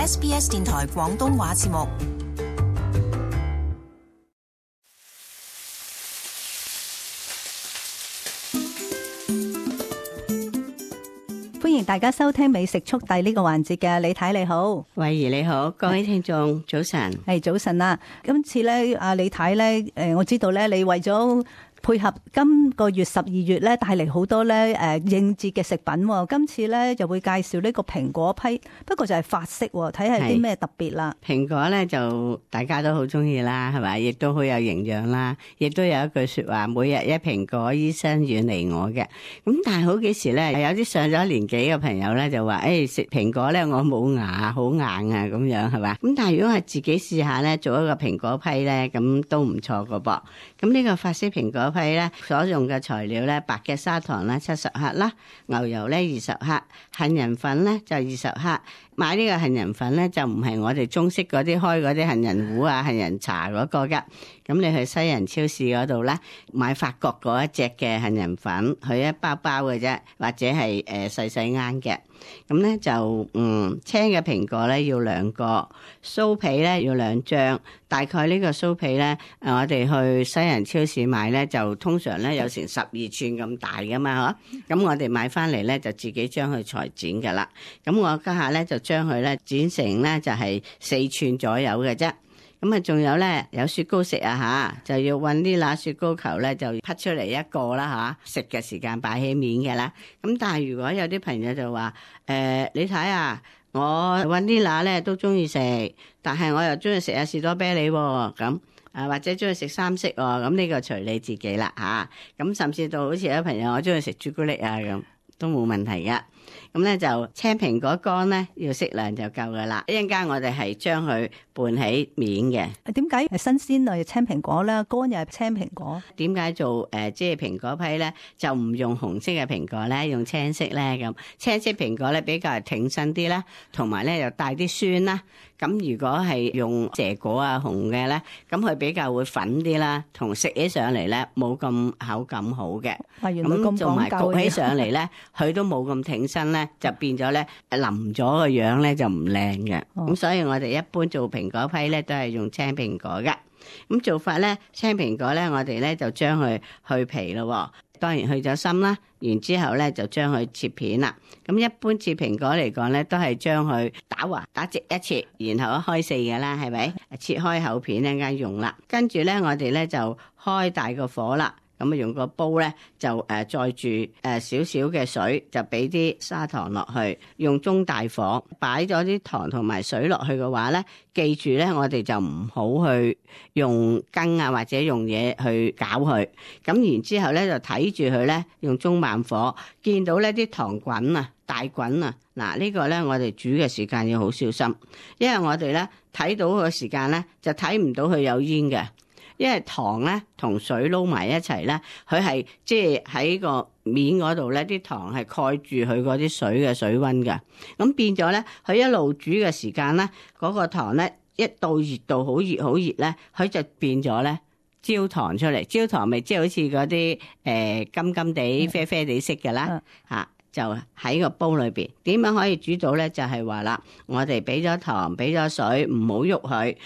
SBS 電台廣東話節目。歡迎大家收聽美食速遞呢個環節嘅，李太你好，慧怡你好，各位聽眾早晨。係早晨啦。今次咧，阿李太咧，我知道咧，你為咗配合今個月12月咧，帶嚟好多咧應節嘅食品。今次咧就會介紹呢個蘋果批，不過就係法式，睇下啲咩特別啦。蘋果咧就大家都好中意啦，係咪？亦都好有營養啦，亦都有一句說話，每日一蘋果，醫生遠離我嘅。咁但係好幾時咧，有啲上咗年紀嘅朋友咧就話，食蘋果咧我冇牙，好硬啊咁樣，係嘛？咁但係如果係自己試下咧，做一個蘋果批咧，咁都唔錯噶噃。咁呢個法式蘋果批咧所用嘅材料咧，白嘅砂糖啦70克啦，牛油咧20克，杏仁粉咧就20克。買呢個杏仁粉咧就唔係我哋中式嗰啲開嗰啲杏仁糊啊、杏仁茶嗰個噶。咁你去西人超市嗰度咧買法國嗰一隻嘅杏仁粉，佢一包包嘅啫，或者係細細啱嘅。咁咧就青嘅蘋果咧要2個，酥皮咧要2張。大概呢個酥皮咧，我哋去西人超市買咧就通常咧有成12寸咁大噶嘛，嗬。咁我哋買翻嚟咧就自己將佢裁剪噶啦。咁我家下咧就將佢咧剪成咧就係4寸左右嘅啫。咁啊，仲有咧有雪糕食啊嚇，就要搵啲拿雪糕球咧就劈出嚟一個啦嚇，食嘅時間擺起面嘅啦。咁但係如果有啲朋友就話你睇啊，我搵啲拿咧都中意食，但係我又中意食下士多啤梨喎，咁或者中意食三色喎，咁呢個隨你自己啦嚇。咁甚至到好似有啲朋友我中意食朱古力啊咁，都冇問題噶。咁咧就青蘋果乾咧要適量就夠噶啦。一陣間我哋係將佢拌起面嘅。點解係新鮮類青蘋果咧，乾又係青蘋果？點解做即係蘋果批咧就唔用紅色嘅蘋果咧，用青色咧咁？青色蘋果咧比較挺身啲啦，同埋咧又帶啲酸啦。咁如果係用蛇果啊紅嘅咧，咁佢比較會粉啲啦，同食起上嚟咧冇咁口感好嘅。咁做埋焗起上嚟咧，佢都冇咁挺身咧，就變咗咧腍咗個樣咧就唔靚嘅。咁所以我哋一般做蘋果批咧都係用青蘋果嘅。咁做法咧，青蘋果咧我哋咧就將佢去皮咯。當然去咗心啦，然之後咧就將佢切片啦。咁一般切蘋果嚟講咧，都係將佢打橫打直一切，然後一開四嘅啦，係咪？切開厚片一陣間用啦。跟住咧，我哋咧就開大個火啦。咁啊，用個煲咧就載住少少嘅水，就俾啲砂糖落去，用中大火擺咗啲糖同埋水落去嘅話咧，記住咧，我哋就唔好去用羹啊或者用嘢去攪佢。咁然之後咧就睇住佢咧，用中慢火，見到呢啲糖滾啊大滾啊，嗱呢個咧我哋煮嘅時間要好小心，因為我哋咧睇到個時間咧就睇唔到佢有煙嘅。因為糖咧同水撈埋一齊咧，佢係即係喺個面嗰度咧，啲糖係蓋住佢嗰啲水嘅水溫嘅。咁變咗咧，佢一路煮嘅時間咧，嗰個糖咧一到熱度好熱好熱咧，佢就變咗咧焦糖出嚟。焦糖咪即係好似嗰啲金金地啡啡地色嘅啦嚇。就喺個煲裏邊，點樣可以煮到咧？就係話啦，我哋俾咗糖，俾咗水，唔好喐佢。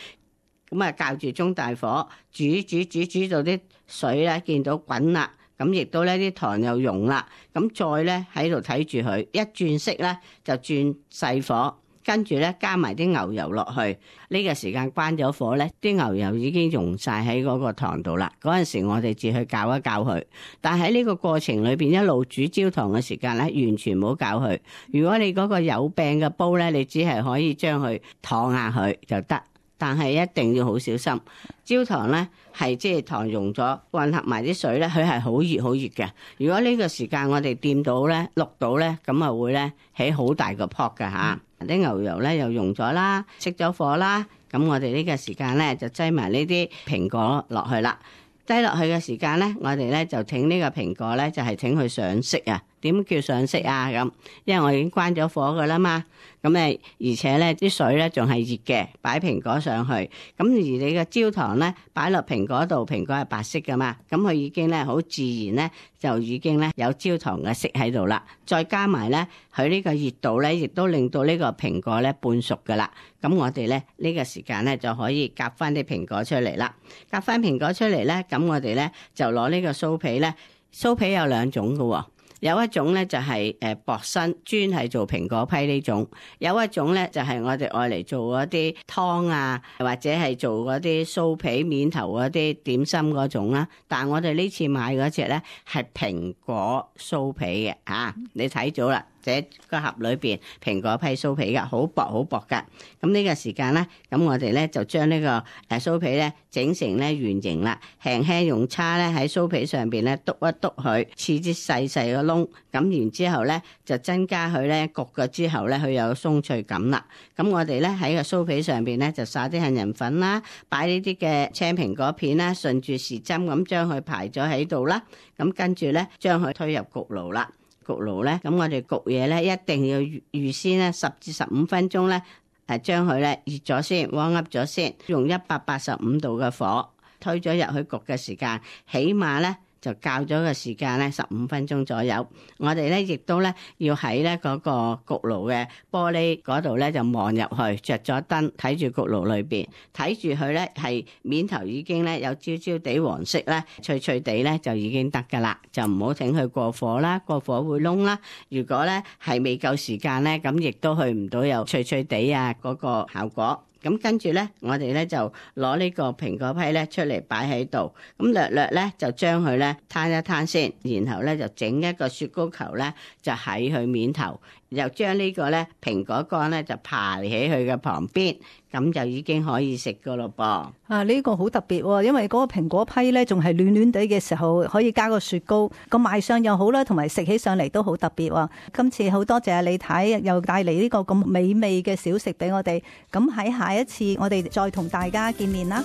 咁啊，較住中大火煮到啲水咧見到滾啦，咁亦都咧啲糖又溶啦，咁再咧喺度睇住佢，一轉色咧就轉細火，跟住咧加埋啲牛油落去，呢個時間關咗火咧，啲牛油已經溶晒喺嗰個糖度啦。嗰陣時我哋至去攪一攪佢，但喺呢個過程裏邊一路煮焦糖嘅時間咧，完全唔好攪佢。如果你嗰個有柄嘅煲咧，你只係可以將佢燙下佢就得。但係一定要好小心，焦糖咧係即係糖溶咗，混合埋啲水咧，佢係好熱好熱嘅。如果呢個時間我哋掂到咧、淥到咧，咁啊會咧起好大個泡㗎嚇。啲牛油咧又溶咗啦，熄咗火啦，咁我哋呢個時間咧就擠埋呢啲蘋果落去啦。擠落去嘅時間咧，我哋咧就整呢個蘋果咧就係整佢上色啊。點叫上色啊？咁因為我已經關咗火噶啦嘛。咁而且咧啲水咧仲係熱嘅，擺蘋果上去。咁而你嘅焦糖咧擺落蘋果度，蘋果係白色噶嘛，咁佢已經咧好自然咧就已經咧有焦糖嘅色喺度啦。再加埋咧佢呢個熱度咧，亦都令到呢個蘋果咧半熟噶啦。咁我哋咧呢個時間咧就可以夾翻啲蘋果出嚟啦。夾翻蘋果出嚟咧，咁我哋咧就攞呢個酥皮咧，酥皮有兩種嘅喎。有一種咧就係薄身，專係做蘋果批呢種；有一種咧就係我哋愛嚟做嗰啲湯啊，或者係做嗰啲酥皮面頭嗰啲點心嗰種啦。但係我哋呢次買嗰隻咧係蘋果酥皮嘅啊，你睇咗啦。這個盒裏邊蘋果批酥皮噶，好薄好薄噶。咁呢個時間咧，咁我哋咧就將呢個酥皮咧整成咧圓形啦，輕輕用叉咧喺酥皮上邊咧篤一篤佢，刺啲細細個窿。咁然之後咧就增加佢咧焗咗之後咧，佢有鬆脆感啦。咁我哋咧喺個酥皮上邊咧就撒啲杏仁粉啦，擺呢啲嘅青蘋果片啦，順住時針咁將佢排咗喺度啦。咁跟住咧將佢推入焗爐啦。焗爐咧，咁我哋焗嘢咧一定要預先咧10至15分鐘咧，將佢咧熱咗先，warm up咗先，用185度嘅火推咗入去焗嘅時間，起碼咧就較咗個時間咧15分鐘左右。我哋咧亦都咧要喺咧嗰個焗爐嘅玻璃嗰度咧就望入去，着咗燈睇住焗爐裏邊，睇住佢咧係面頭已經咧有焦焦地黃色咧，脆脆地咧就已經得噶啦，就唔好整佢過火啦，過火會燶啦。如果咧係未夠時間咧，咁亦都去唔到有脆脆地啊嗰個效果。咁跟住咧，我哋咧就攞呢個蘋果批咧出嚟擺喺度，咁略略咧就將佢咧攤一攤先，然後咧就整一個雪糕球咧，就喺佢面頭，又將呢個咧蘋果乾咧就排喺佢嘅旁邊，咁就已經可以食噶咯噃。啊，呢個好特別喎，因為嗰個蘋果批咧仲係暖暖地嘅時候，可以加個雪糕，個賣相又好啦，同埋食起上嚟都好特別喎。今次好多謝阿李太又帶嚟呢個咁美味嘅小食俾我哋，咁喺下一次我哋再同大家見面啦。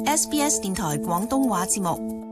SBS 電台廣東話節目。